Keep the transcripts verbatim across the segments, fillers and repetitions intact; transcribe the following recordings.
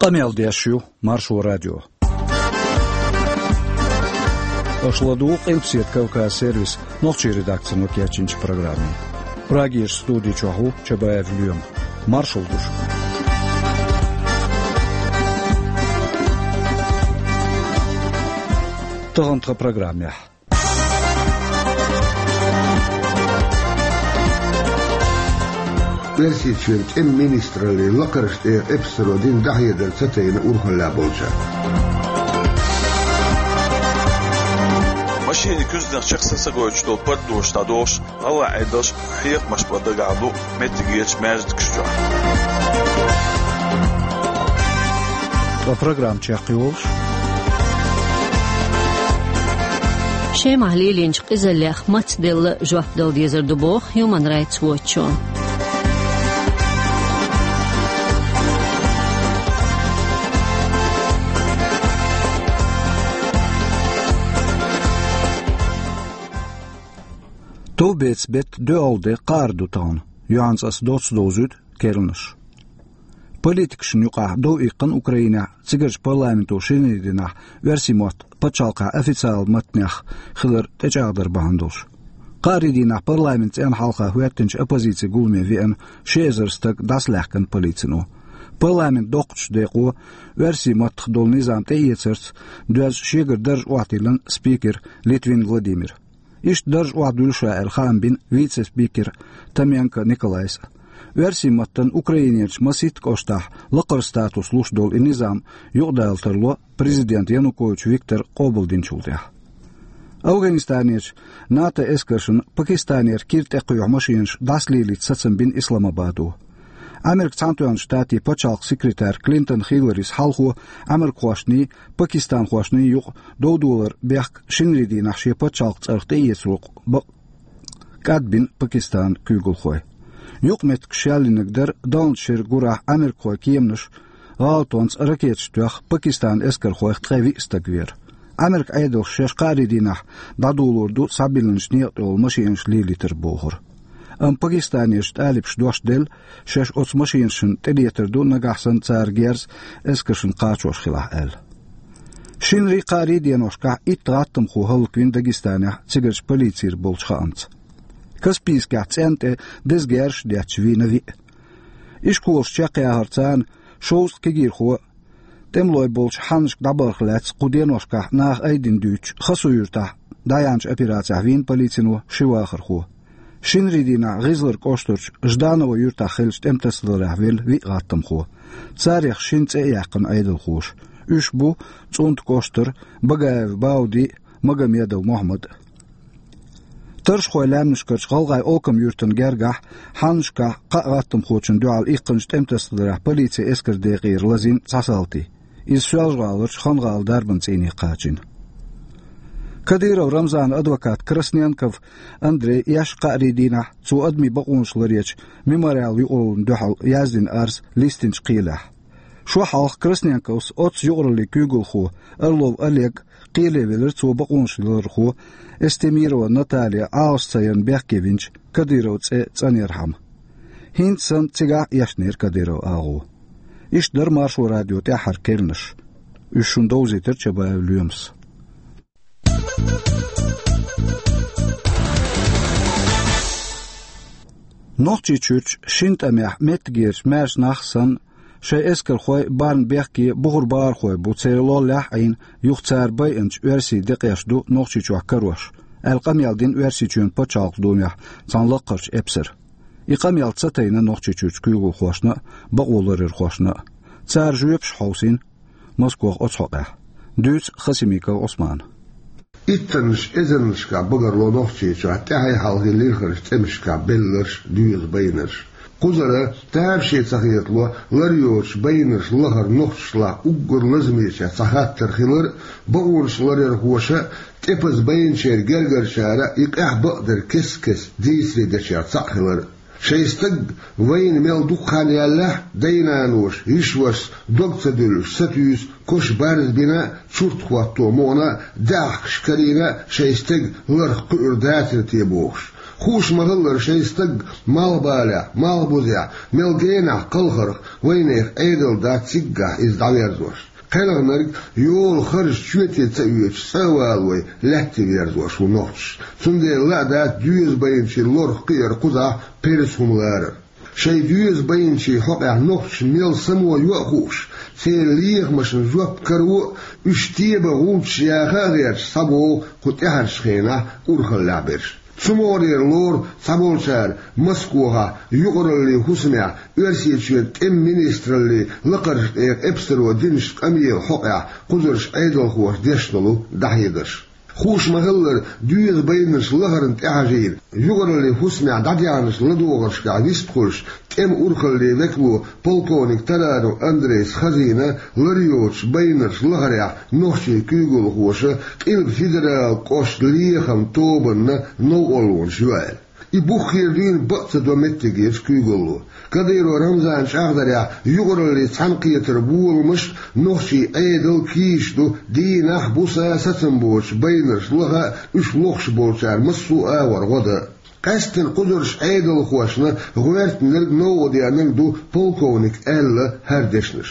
Къамел деш ю Маршо радио. Аша ладугӀу Къилбаседа Кавказ сервисан нохчийн редакцино кечйинчу программе. Прагерчу студи чохь ву Чабаев Лоьма. Маршалла ду шуьга. Тахана тхан программехь. Оьрсийчоьнан тӀеман министраллин лакхарчу тӀегӀан эпсаро дина дӀахьедар ца тайна урхаллехь болчара. Машенийн куьзганах чекх са ца гойтуш долу пардош дӀадохуш, гӀалгӀайн Ӏедалша хьехамаш бан дагахь ду меттигерчу маьждигаш чохь. Ткъа программа чекхйолуш, Шемахь лелийначу къизаллех мацделла жоп дала дезар ду боху Human Rights Watch-о. Товбецан беттан доьалгӀа де кхаара ду тахана. Юьхьанца аса доцца довзуьйту керланаш. Политикашна юкъахь дов иккхина Украинехь, цигарчу парламенто шинарин дийнахь оьрсийн мотт пачхьалкхехь официалан маттанех хилар тӀечӀагӀдар бахьана долуш. Кхаарин дийнахь парламентан цӀенна хьалха хӀоьттинчу оппозицин гуламе веана ши эзар стаг дӀасалаьхкина полицино. Парламентан доккхачу декъо оьрсийн маттах долу низам тӀеэцарца доьзна шегара дарж охьадиллина спикер Литвин Владимира. Иштта дарж охьадуьллу ша аьлла хаам бина вице-спикер Томенко Николайс а. Оьрсийн маттана Украинерчу масийтта кӀоштахь лакхара статус луш долу и низам юкъадала тарло президент Янукович Виктора къобалдинчул тӀаьхьа. Афганистанерчу НАТО эскаршна Пакистанера кира тӀекхоьхьу машенаш дӀасалелийта сацам бина Исламабадо. Американ Цхьаьнатоьхначу Штатийн пачхьалкхан секретарь Клинтон Хилларис хьалхо америкахошний, пакистанхошний юкъа довдолар бехк шинарин дийнахь шен пачхьалкхан цӀарах тӀеэцаро бакъ кӀадбина Пакистанан куьйгалхой. Юкъаметтигаш яллинарг дара, даланчу шеран гурахь америкахойн кеманаша гӀалатонца ракеташ тоьхна Пакистанан эскархойх ткъе виъ стаг вер. Американ Ӏедалша шаьш кхаарин дийнахь дӀадолор ду схьабиллинчу некъа тӀехула машенаш лелийтар бохург. Амма Пакистанерчу тӀалибаша дош делла, шаьш оцу машенашна тӀелетар ду, нагахь санна цара герз эскаршна кхачош хилахь аьлла. Шинарин, кхаарин деношкахь итт гӀаттамхо хӀаллаквина Дагестанехь цигарчу полицера болчу хаамца. Каспийскехь цӀенна тӀе деза герзаш а детташ вийна виъ. Ишколаш чекхъяхар, царна шовзткъа кегийрхо тӀемалой болчу хьаннашка дӀабахарх лаьцна кху деношкахь наха айдина дуьйцуш, Хасу-Юьртахь дӀаяьхьначу операцехь вийна полицино ши вахархо. Шинарин дийнахь ГӀизлар кӀоштарчу Жданово юьртахь хиллачу тӀематасадаларехь велла виъ гӀаттамхо. Царех шина цӀе а яьккхина Ӏедалхоша. Уьш бу ЦӀунтан кӀоштара Багаев Бауди а, Магомедов Мохьмад а. Таршхойн лаьмнашкарчу ГӀалгӀайн Олкам-Юьртана гергахь хьаннашкахь кхаа гӀаттамхочунна дуьхьал иккхинчу тӀематасадаларехь полицин эскаран декъера лазийна цхьа салти. Иза Соьлжа-ГӀаларчу Хан-ГӀалан дарбан цӀийне кхачийна. Кадыров Рамзанан адвоката Красненков Андрея эшна кхаарин дийнахь цо адамийн бакъонаш ларъечу Мемориал юкъараллина дуьхьал яздина арз листинчу кхелехь. Шо хьалха Красненковс оццу юкъараллин куьйгалхо Орлов Олег кхеле велира, цо бакъонаш ларъярхо Эстемирова Наталья Ӏалашца ярна бехке винчу Кадыровн цӀе цӀанъярхьама. ХӀинца санна цигахь а эшнера Кадыровн агӀо. Иштта дара Маршо радион тӀаьххьара керланаш. Уьш шуна довзийтира Чабаев Лоьмас. Нохчийчуьрчу шина тӀамехь меттигерчу маьрша нах санна, шайн эскархой барна бехке бухара бахархой бу, церан лоллехь а Ӏийна, юха цара байинчу оьрсийн декъеш ду Нохчийчохь карош, аьлла къамел дина Оьрсийчоьнан пачхьалкхан думехь цхьана лакхарчу эпсара. И къамел ца тайна Нохчийчуьрчу куьйгалхошна а, бакъо ларъярхошна а. Цара жоьпаш хьовсийна Москох оцу хьокъехь. Дуьйцу Хасимиков Ӏусмана. Иттаннаш эзарнашкахь багарло Нохчийчохь тӀаьхье-хьалхе лирхарчу тӀемашкахь белларш а, доьза байнарш а. Кхузара тамаше ца хетало лар йоцуш байнарш лахара нохчашлахь уггар лазамечех цхьа хаттар хилар а, бакъонаш ларъярхоша а, тӀепаза байначеран гергарчара а и къаьхьа бакъдар кест-кеста дийцаре дечех цхьаъ хилар а. Шайн стаг вайна мел дукха хан яьллехь а, дай-наноша, йиша-вашас дог ца дуьллуш сатуьйсу, кош барз бина, чурт хӀотто мукъана, даьӀахкаш карийна, шайн стеган ларх кхуьур дацара те бохуш. Хууш ма-хиллара, шайн стаг малхбалехь, малхбузехь, мел генахь кхалхарх вайнехан Ӏедал дац циггахь иза дӀаверзош. КхелхинаргӀа йолу харж чоьте ца оьцуш, цӀа а валавой, лаьтта верзош ву нохчаш. Цундела лаа дац доьза байначийн лорах кхиар кхузахь перза хӀума ларар. Шайн доьза байначийн хьокъехь нохчаша мел само йо а хууш, церан лехамашна жоп каро а, уьш тебан гӀулчаш яха а гӀерташ, схьабогӀу кху тӀаьхьарчу хенахь урхаллехь берш. Цу могӀарера лору цхьаболчара Москвахь юкъараллин хӀусамехь Оьрсийчоьнан тӀеман министраллин лакхарчу тӀера эпсаро динчу къамелан хьокъехь кхузарчу Ӏедалхоша деш долу дӀахьедарш. Хууш ма-хиллара, доьза байнарш лахарна тӀехьажийна, юкъараллин хӀусамехь дӀадаьхьначу ладогӀаршкахь вистхуьлуш, тӀеман урхаллин векало полковник Таранов Андрейс хазийна лар йоцуш байнарш лахарехь нохчийн куьйгалхоша Къилба федералан кӀоштан лехаман тобанна новкъарлонаш йо аьлла. И бух хир дуьйна бакъ ца до меттигерчу куьйгалло. Кадыров Рамзанан чӀагӀдарехь, юкъараллин цхьаьнакхетаран боламаш нохчийн Ӏедалан кийча ду, дийнахь а, буса а сацам боцуш байнарш лаха а, уьш лохуш болчара массо а агӀор гӀо дан а. Къаьсттина кхузарчу Ӏедалхошна гӀоьртинарг а, новкъа деанарг а ду полковника аьлла хӀара дешнаш.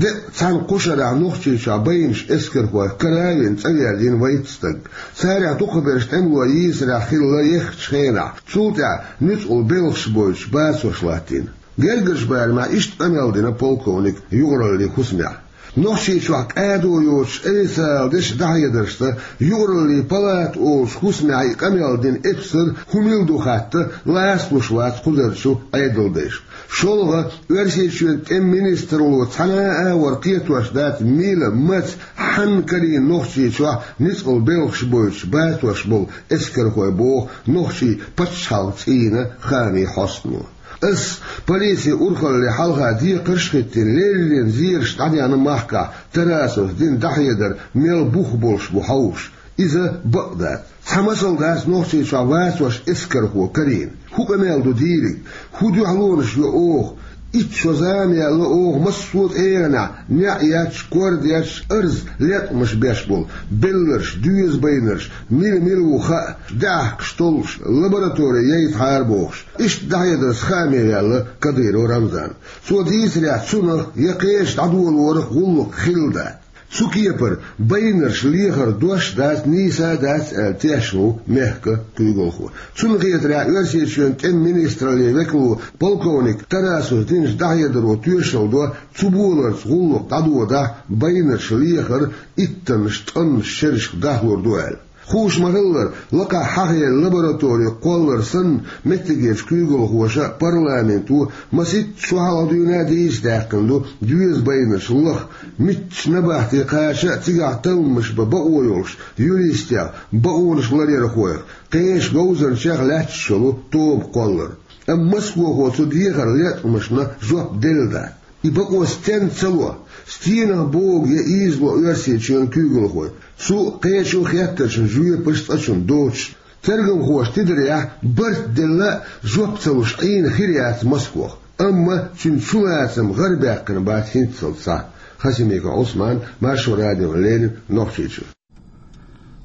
Деккъа цхьана кху шарахь Нохчийчохь байначу эскархойх кара а вина, цӀа верзийна вайта стаг. Царах дукхахберш тӀемало йийсарехь хилла еххачу хенахь, цул тӀаьхьа нуьцкъала белхаш бойтуш бацош латтийна. Гергарчу барамехь иштта къамел дина полковника юкъараллин хӀусамехь. Нохчийчохь кӀадо йоцуш официалан дешан дӀахьедаршца, юкъараллин палата олучу хӀусамехь и къамел дина эпсар хӀун мила ду хатта, лаца луш вац кхузарчу Ӏедалдайша. ШолгӀа, Оьрсийчоьнан тӀеман министралло цхьана а агӀор кхетош дац, мила, маца, хьанна карийна Нохчийчохь нуьцкъала белхаш бойтуш бацош болу эскархой, боху нохчийн пачхьалкхан цӀийнан хаамийн хьостано. Ас, полицин урхалле хьалха декхарш а хӀиттийна, леррина зераш дӀадаьхьна махкахь, Тарасовс дина дӀахьедар мел бух болуш бу хьовсуш. Иза бакъ дац. Цхьа масал дац Нохчийчохь вацош эскархо карийна. ХӀун къамел ду дийриг? ХӀун дуьхьалонаш йо оха? Итт шо зама яьлла оха массо а тӀегӀанехь, неӀ етташ, кор детташ, арз, леткъамаш беш болу, белларш, доьза байнарш, мила-мила ву хаа, даьӀахкаш толлуш, лаборатори яйтахьара бохуш. Иштта дӀахьедарца хааме ваьлла Кадыров Рамзан. Цо дийцарехь, цунах я кхечу дӀадолорах гӀуллакх хилла дац. Цу кепара байнарш лехар дош а дац, нийса а дац аьлла тешна ву мехкан куьйгалхо. Цунна хетарехь, Оьрсийчоьнан тӀеман министраллин векало полковник Тарасовс динчу дӀахьедаро тоьшалла до, цу боларца гӀуллакх дӀадодахь, байнарш лехар иттаннаш, ткъаннаш шерашка дахлур ду аьлла. Хууш ма-хиллара, лакхахь хьахийна лаборатори кхоллар санна, меттигерчу куьйгалхоша а, парламенто а масийтта шо хьалха дуьйна а дийца даьккхина ду доьза байнарш лаха, муьлххачу набахте кхача а, цигахь талламаш бан бакъо йолуш юристех, бакъонаш ларъярхойх, кхечу говзанчех лаьтташ йолу тоба кхоллар. Амма Москвахо цу дехаран леткъамашна жоп делла дац. И бакъо стенна ца ло, стенах богу я ийзало Оьрсийчоьнан куьйгалхой, цу а, кхечу а хеттаршна жоьпаш цкъачунна доцуш. Тергамхоша тидарехь, барт делла а, жоп ца луш Ӏийна хир яц Москвах. Амма цуьнан чулацам гӀарабаьккхина бац хӀинццалц схьа. Хасимиков Ӏусман, Маршо радиона леррина, Нохчийчуьра.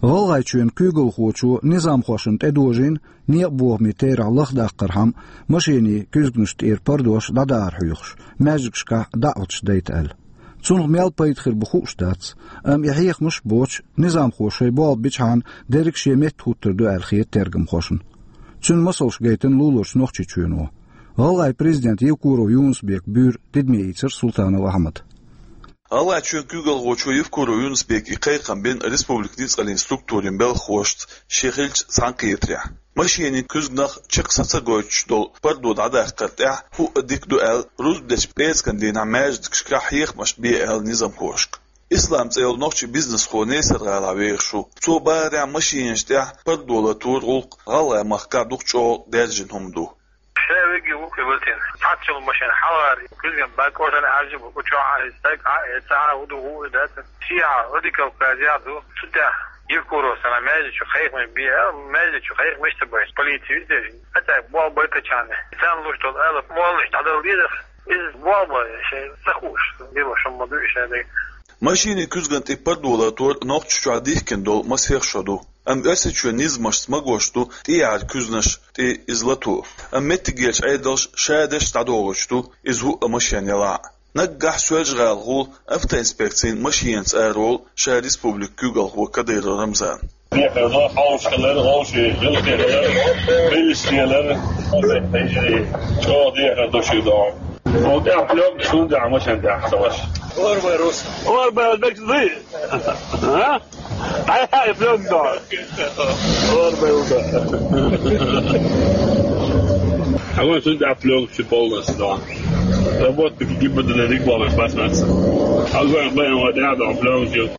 ГӀалгӀайчоьнан куьйгалхочо низамхошна тӀедожийна некъан бохамийн терахь лахдаккхархьама машенийн куьзганаш тӀера пардош дӀадахар хьоьхуш, маьждигашкахь даӀваташ дайта аьлла. Цунах мел пайда хир бу хууш дац, амма и хьехамаш а боцуш, низамхоша шайн болх бичхьана, дерриг а шен метта хӀуттур ду аьлла хета тергамхошна. Цуьнан масалш гайтина луларчу Нохчийчоьно. ГӀалгӀайн президента Евкуров Юнус-Бекан буьйр тидаме ийцира Султанов Ахьмада. ГӀалгӀайчоьнан куьйгалхочо Евкуров Юнус-Бека и кхайкхам бина республикан ницкъаллин структурийн белхахошца шен хиллачу цхьаьнакхетарехь. Машенийн куьзганах чекх схьа ца гойтуш долу пардо дӀадаккхар тӀехь хӀуъа дика ду аьлла, рузба дечу пӀераскан дийнахь маьждигашкахь хьехамаш бе аьлла низамхошка. Ислам цӀе йолу нохчийн бизнесхо Несар-ГӀалахь вехаш ву. Цо бахарехь, машенаш тӀехь пардо латаран гӀуллакх ГӀалгӀайн-махкахь дукха чӀогӀа даьржина хӀума ду. Ша вегги вукхе ватина. Цхьацца йолу машен хьалхара куьзган баккъо санна Ӏаьржа бу, кху чохь Ӏаьржа стаг, а, э, ца а хӀун ду, хӀун ду дац. Ши а радикал казах ду. Цу тӀехь Евкуров санна маьждиг чу кхайкхамаш бе, а, маьждиг чу кхайкхамаш ца беш, полици витеш. Хьацаьрга болх байтачарна. Царна луш долу ала моллаш дӀадала дезара. Иза болх бан, шайн ца хууш, дила шун ма ду и шайн дерг. Машенийн куьзган тӀе пардо латар Нохчийчохь дихкина долу масех шо ду. Амма Оьрсийчоь низамашца магош ду тӀехьара куьзнаш тӀе иза лато. Амма меттигерчу Ӏедалша шадерш дӀадохуьйтуш ду иза хӀуъа машен ялахь а. Наггахь Соьлжа-ГӀала гӀолла автоинспекцин машенца араволу ша республикан куьйгалхо Кадыров Рамзан. Дехар до, хьовш хилар, вовшийн гӀиллакхе хилар, милиса хилар, чӀогӀа дехар до шуьга догӀу. Вон тӀехь плёнкаш хӀунда даьхьа машен тӀехь ца ваша? Орбай рус. Орбай рус, бекс дуй? А? Ай, ай, плёнка. Орбай рус. А вон сюда плёнка полностью, да. Работники ГИБДД регламент басматся. А вон, вон, вот, я дам плёнки.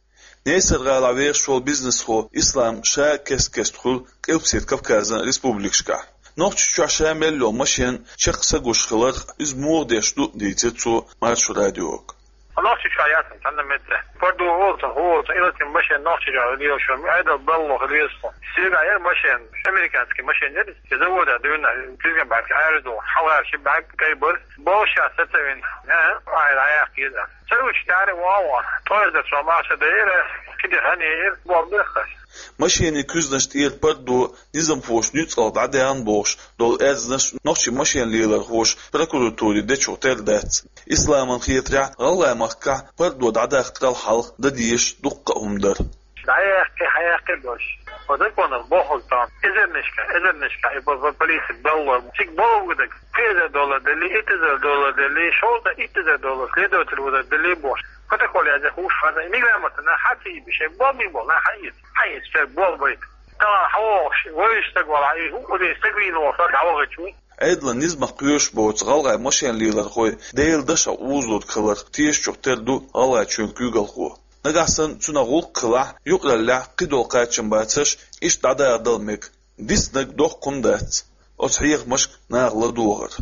Несар-гӀалахь вехаш волу бизнесхо Ислам ша кест-кеста хуьлу Къилбаседа Кавказан республикашкахь. Нохчийчохь ша мел йолу машен чекх са гуш хиларх, иза муха деш ду, дийцира цо Маршо радиога. Нохчийчохь яц цхьанна метте. Пардо волчу, хӀу волчу, и латин машен Нохчийчохь лелаш, Ӏедал балло хир веза. Стеган яра машен, американский машен яра, и завода дуьйна, кизган баьрка аьржа ду, хьалхара ши баьрка кайбар, болу ша сацавина, а, айра яхкийда. Ца уьш таьре вогӀу, тӀоьрза цо маша дайра, кхидӀа хӀанийра, боху бехаш. Машенийн куьзнаш тӀера пардо низамхоша нуьцкъала дӀадаьхна бохуш долу аьрзнаш нохчийн машен лелорхоша прокуратуре дечух тера дац. Исламан хетарехь, ГӀалгӀай махкахь пардо дӀадаккхарал хьалха дан дезаш дуккха а хӀума дара. ДӀаяьккхи, хьаяьккхи бош. По закону бохург тан. Эзарнашка, эзарнашка, и по, по полиции балло. Циг болу гудак. Пхи эзар доллар дали, итт эзар доллар дали, шовзткъа итт эзар доллар следователь вудар дали бош. Протокол яза хуш хаза. Миграмота на хати биши, бо ми бо, на хайит. Хайит, все, бо байт. Тала хавош, войш так вала, и ху, уди стагвин вала, дава гачу. Ӏедалан низамах кхоьруш боцу гӀалгӀай машен лелорхой Делан дашах узург хиларх тешачух тера ду ГӀалгӀайчоьнан куьйгалхо. Нагахь санна цунах гӀуллакх хилахь, юкъараллехь кхидолу кхачам бацарш иштта дӀадахадала мега. Диснарг доккха хӀума дац оцу хьехамашка наха ладогӀар.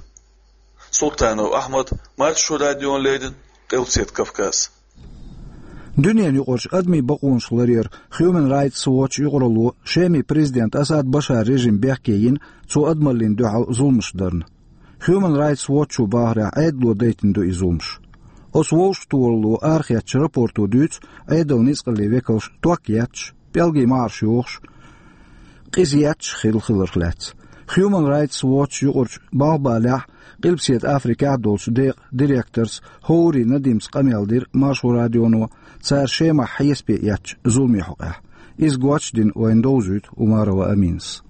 Султанов Ахьмад, Маршо радиона леррина, Къилбаседа Кавказ. Дуьненаюкъарчу адамийн бакъонаш ларъяран Human Rights Watch юкъаралло Шеман президент Асад Башар режим бехке йина цо адамаллина дуьхьал зуламаш дарна. Human Rights Watch-о бахарехь, Ӏедало дайтина ду и зуламаш. Оцу вовшахтохаралло арахецначу рапорто дуьйцу Ӏедалан ницкъаллийн векалш ток етташ, пӀелгийн маӀарш йохуш, къиза етташ хилла хиларх лаьцна. Human Rights Watch юкъарчу Малхбалехь, Къилбаседа Африкехь долчу декъан директорца ХӀоври Надимца къамел дира Маршо радионо цара Шемахь хьесапе эцначу зуламийн хьокъехь. Иза гочдина вайна довзуьйту Умарова Аминас.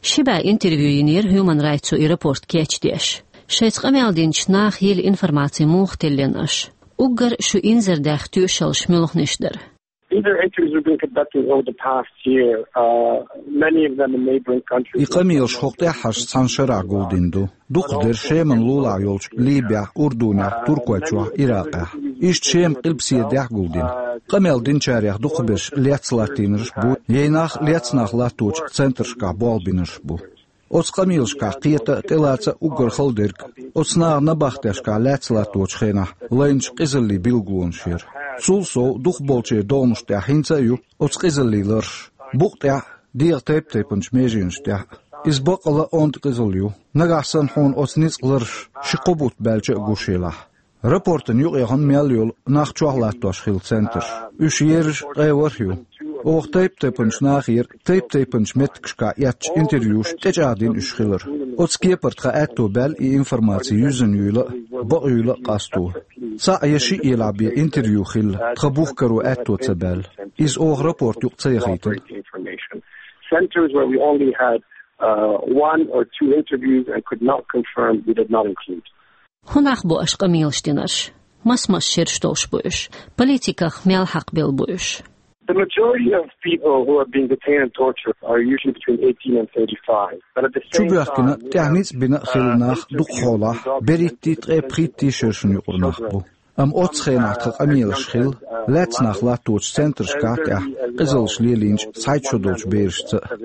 Ши бӀе интервью йинера Human Rights-о и рапорт кечдеш. Шайца къамел динчу наха йилла информаци муха теллина аша? Уггар шу инзардаьхна тоьшаллаш муьлханаш дара? These are interviews we've been conducting over the past year, uh, many of them in neighboring countries. И къамелаш хӀокху тӀаьххьарчу цхьана шарахь гулдина ду. Дукхахдерш Шеман лулахь йолчу Либехь, Урдунехь, Туркойчохь, Иракъехь. Иштта Шеман Къилбаседехь гулдина. Къамел динчарех дукхахберш лецна латтийнарш бу, я нах лецна нах латточу центрашкахь болх бинарш бу. Оцу къамелашкахь кхета а, тӀелаца а уггар хала дерг оцу наха набахтешкахь лаьцна латточу хенахь лайначу къизаллийн билгалонаш яра. Цул сов, дукхахболчеран догӀмашна тӀехь хӀинца а ю оцу къизаллийн ларш. Букъа тӀехь а, дегӀан тайп-тайпанчу меженаш тӀехь а. Иза баккъалла а онда къизалла ю. Нагахь санна хьуна оцу ницкъан ларш ши-кхо бутт баьлча а гуш елахь. Рапортан юкъаяхана мел йолу нах чохь латтош хилла центраш. Уьш ерриш а ткъе ворхӀ ю. Оха тайп-тайпанчу нахера тайп-тайпанчу меттигашкахь эцначу интервьюша тӀечӀагӀдина уьш хилар. Оцу кепара тхан аьтто баьлла и информаци юьззина юйла а, бакъйийла а къасто. Цхьаъ я шиъ елахь бен интервью хилла, тхан бух каро аьтто ца баьлла. Иза оха рапорт юкъа ца яхийтина. Centers where we only had, uh, one or two interviews and could not confirm, we did not include. ХӀун нах бу аша къамелаш динарш? Мас-мас шераш долуш бу уьш? Политиках мел хьакхабелла бу уьш? The majority of people who are being detained and tortured are usually between eighteen and thirty-five. But at the same time, чубоьхкина, тӀехь ницкъ бина а хилла нах дукха хьолахь берхӀиттий, ткъе пхийтта шершна юкъара нах бу. Амма оццу хенахь тхан къамелаш хилла лаьцна нах латточу центрашкахь тӀехь къизаллаш лелийначу цхьайтта шо долчу берашца а.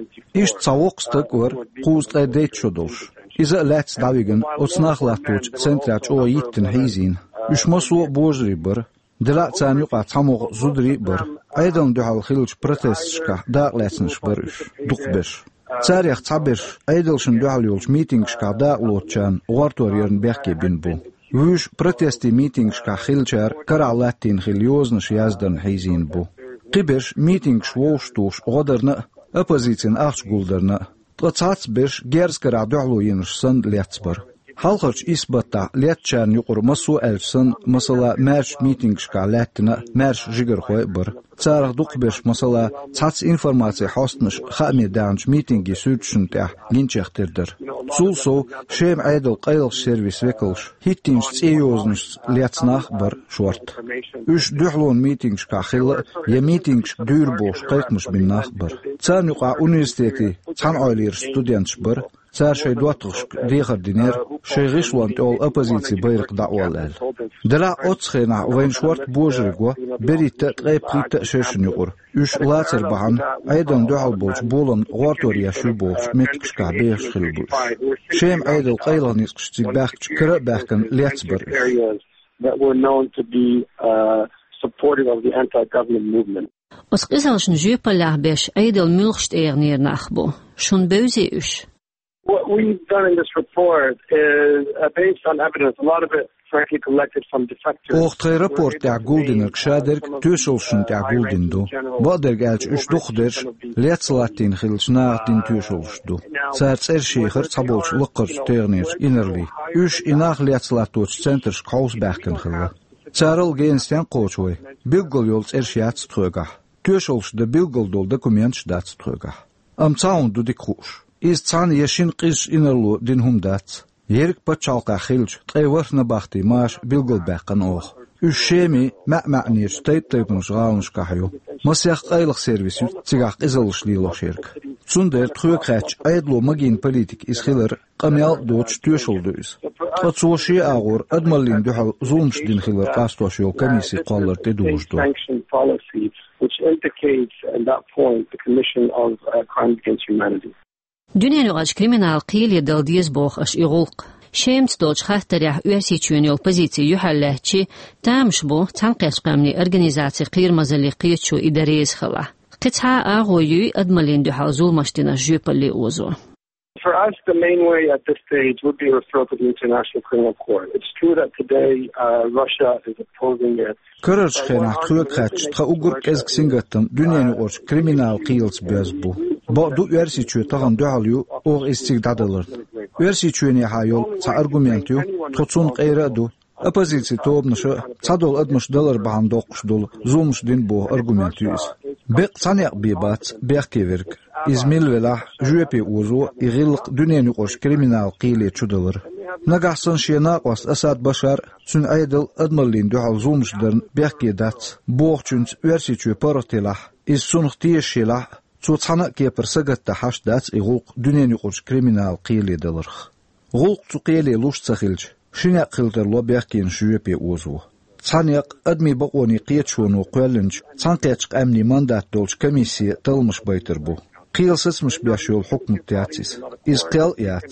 Иштта цхьа воккха стаг а вара, кхузткъе дейтта шо долуш. Иза а лаьцна дӀавигина, оцу нах латточу центрехь чӀогӀа йиттина хьийзийна. Уьш массо а божарий бара. Делахь а царна юкъахь цхьамогӀа зударий а бара. Ӏедална дуьхьал хиллачу протесташкахь дакъалаьцнарш бара уьш, дукхахберш. Царех цхьаберш Ӏедалшна дуьхьал йолчу митингашкахь дакъалоцучарна гӀортор ярна бехке бина бу. Вуьйш протестийн митингашкахь хиллачара карахь латтийна хилла йозанаш яздарна хьийзийна бу. Кхиберш митингаш вовшахтухуш гӀо дарна а, оппозицин ахча гулдарна а. Ткъа цхьацца берш герз карахь дуьхьало йинарш санна лецна бара. Хьалхарчу исс баттахь лецначарна юкъара массо а аьлча санна, масала, маьрша митингашкахь лаьттина а маьрша жигархой а бара. Царах дукхахберш, масала, цхьацца информацин хьостанаш хааме даьхначу митинган суьрташна тӀехь гинчех тера дара. Цул сов, Шеман Ӏедалан къайлахчу сервисан векалш хӀиттийначу цӀен йозанашца лецна нах а бара шорта. Уьш дуьхьалонан митингашкахь хилла а, я митингашка дуьйр бохуш кхайкхамаш бина нах а бара. Царна юкъахь университетийн цхьаьнакъойларчу студенташ бара. Цара шайн доттагӀашка дехар динера, шайн гӀишлонна тӀехула оппозицин байракх дӀаолла аьлла. Делахь а оццу хенахь вайна шорта божарий го берхӀитта а, ткъе пхийтта а шершна юкъара. Уьш лацар бахьана Ӏедална дуьхьал болчу боламна гӀортор еш ю бохучу меттигашкахь бехаш хилла бу уьш. Шеман Ӏедалан къайлаха ницкъаш цига баьхкича кара а баьхкина лецна бара уьш. That were known to be, uh, supportive of the anti-government movement. Оцу къизаллашна жоьпаллехь беш Ӏедал муьлхачу тӀегӀанера нах бу? Шуна бевзий уьш? What we've done in this report is, uh, based on evidence, a lot of it, frankly, collected from defectors. Оха тхайн рапорт тӀехь гулдинарг шадерг тоьшаллашна тӀехь гулдина ду. Бакъдерг аьлча, уьш дукхахдерш лецна латтийна хиллачу наха дина тоьшаллаш ду. Цара цӀераш йохура цхьаболчу лаккхарчу тӀегӀанерчу инарлийн. Уьш и нах лецна латточу центрашка хьовса баьхкина хилла. Царал гена стенна кхочу вай? Билггал йолу цӀераш яц тхоьгахь. Тоьшаллаш дан билггал долу документаш дац тхоьгахь. Амма цхьа хӀума ду дика хууш. Иза цхьана я шина къизачу инарло дина хӀума дац. Ерриг пачхьалкхехь хиллачу ткъе ворхӀ набахтин маша билгалбаьккхина оха. Уьш Шеман маьӀ-маьӀӀерчу тайп-тайпанчу гӀаланашкахь ю. Масех къайлаха сервис ю цигахь къизаллаш лелош ерг. Цундела тхоьга хаьттича, Ӏедало магийна политика иза хилар къамел а доцуш тоьшалла ду иза. Ткъа цо шен агӀор адамаллина дуьхьал зуламаш дина хилар къастош йолу комисси кхоллар тӀедужуш ду. Which indicates at that point the commission of, uh, crimes against humanity. Дуьненаюкъарчу криминал кхеле дала деза боху аша и гӀуллакх. Шемаца долчу хаттарехь Оьрсийчоьнан йолу позици юьхьарлаьцча, тамаш бу Цхьаьнакхеттачу Къаьмнийн Организацин кхерамазаллин кхеташо и дан реза хилахь. Кхин цхьа а агӀо юй адамаллина дуьхьал зуламаш динарш жоьпалле озо? For us, the main way at this stage would be a referral to the International Criminal Court. It's true that today, uh, Russia is opposing it. Карарчу хенахь тхоьга хаьттича, тхан уггар кӀезиг сингаттам дуьненаюкъарчу криминал кхелаца боьзна бу. Бакъду, Оьрсийчоь тахана дуьхьал ю оха иза цига дӀадаларна. Оьрсийчоьнехьа йолу цхьа аргумент ю, тхо цунна къера а ду. Оппозицин тобанаша цхьадолу адамаш далар бахьана доккхуш долу зуламаш дина боху аргумент ю иза. Беккъа цхьа некъ бен бац бехке верг. Иза мила велахь, жоьпе озо и гӀиллакх дуьненаюкъарчу криминал кхеле чудалар. Нагахь санна шен накъост Асад Башар а, цуьнан Ӏедал а адамаллина дуьхьал зуламаш дарна бехке дац бохучуьнца Оьрсийчоь паргӀат елахь, иза цунах тешаш елахь а, цо цхьана а кепара сагатдан хьашт дац и гӀуллакх дуьненаюкъарчу криминал кхеле даларх. ГӀуллакх цу кхеле луш ца хилча, ши некъ хила тарло бехкенаш жоьпе озо. Цхьа некъ адамийн бакъонийн кхеташоно кхоьллинчу Цхьаьнакхеттачу Къаьмнийн мандат долчу комиссе талламаш байтар бу. Кхелан сацамаш беш йолу хьукмат яц иза. Иза кхел а яц.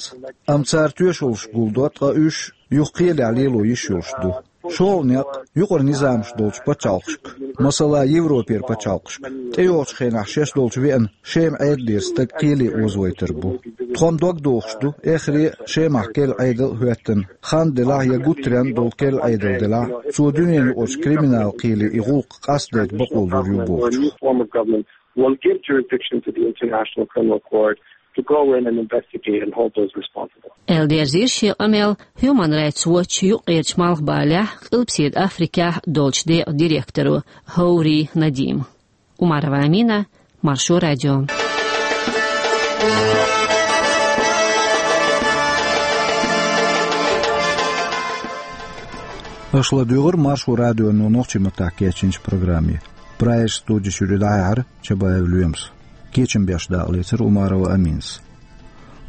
Амма цара тоьшаллаш гулдо, ткъа уьш юха кхелехь лело йиш йолуш ду. ШолгӀа некъ юкъара низамаш долчу пачхьалкхашка, масала, Европера пачхьалкхашка, тӀейогӀучу хенахь шаьш долчу веана Шеман Ӏедалера стаг кхеле озавайтар бу. Тхо-м дог дохуш ду, эххар а Шемахь керла Ӏедал а хӀоьттина, хан делахь я гуттаренна долу керла Ӏедал делахь, цо дуьненаюкъарчу криминал кхеле и гӀуллакх къастадайта бакъо лур ю бохучух. Will give jurisdiction to the International Criminal Court to go in and investigate and hold those responsible. Аьлла дерзийра шен къамел Human Rights Watch юккъерчу Малхбалехь, Къилбаседа Африкехь долчу декъан директоро Ховри Надима. Умарова Амина, Маршо радио. Аша ладуьйгӀира Маршо радионо нохчийн маттахь кечйинчу программе. Прагерчу студи чуьра дӀахьаьхьира Чабаев Лоьмас. Кечам беш дакъалецира Умарова Аминас.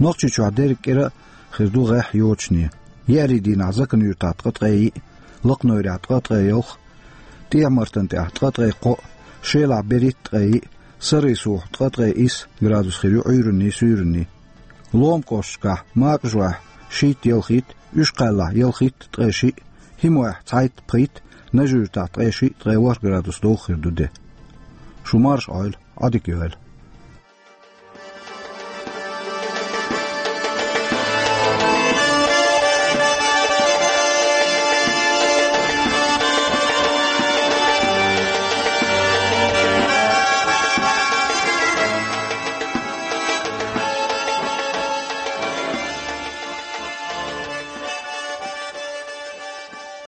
Нохчийчохь дерриг кӀира а хир ду гӀеххьа йочане. Еарин дийнахь Закан-Юьртахь ткъа ткъе йиъ, Лакханойрехь ткъа ткъе ялх, ТӀехьа-Мартан тӀехь ткъа ткъе кхоъ, Шелахь берхӀитта ткъе йиъ, Саррийсохь ткъа ткъе исс градус хир ю Ӏуьйранний, суьйранний. Лома кӀошташкахь Макажохь шийтта-ялхитта, Уьшкхаллахь ялхитта ткъе шиъ, ХӀимохь цхьайтта-пхийтта, Нажи-Юьртахь ткъе шиъ, ткъе ворхӀ градус довха хир ду де. Шу марша Ӏойла, Ӏадика йойла.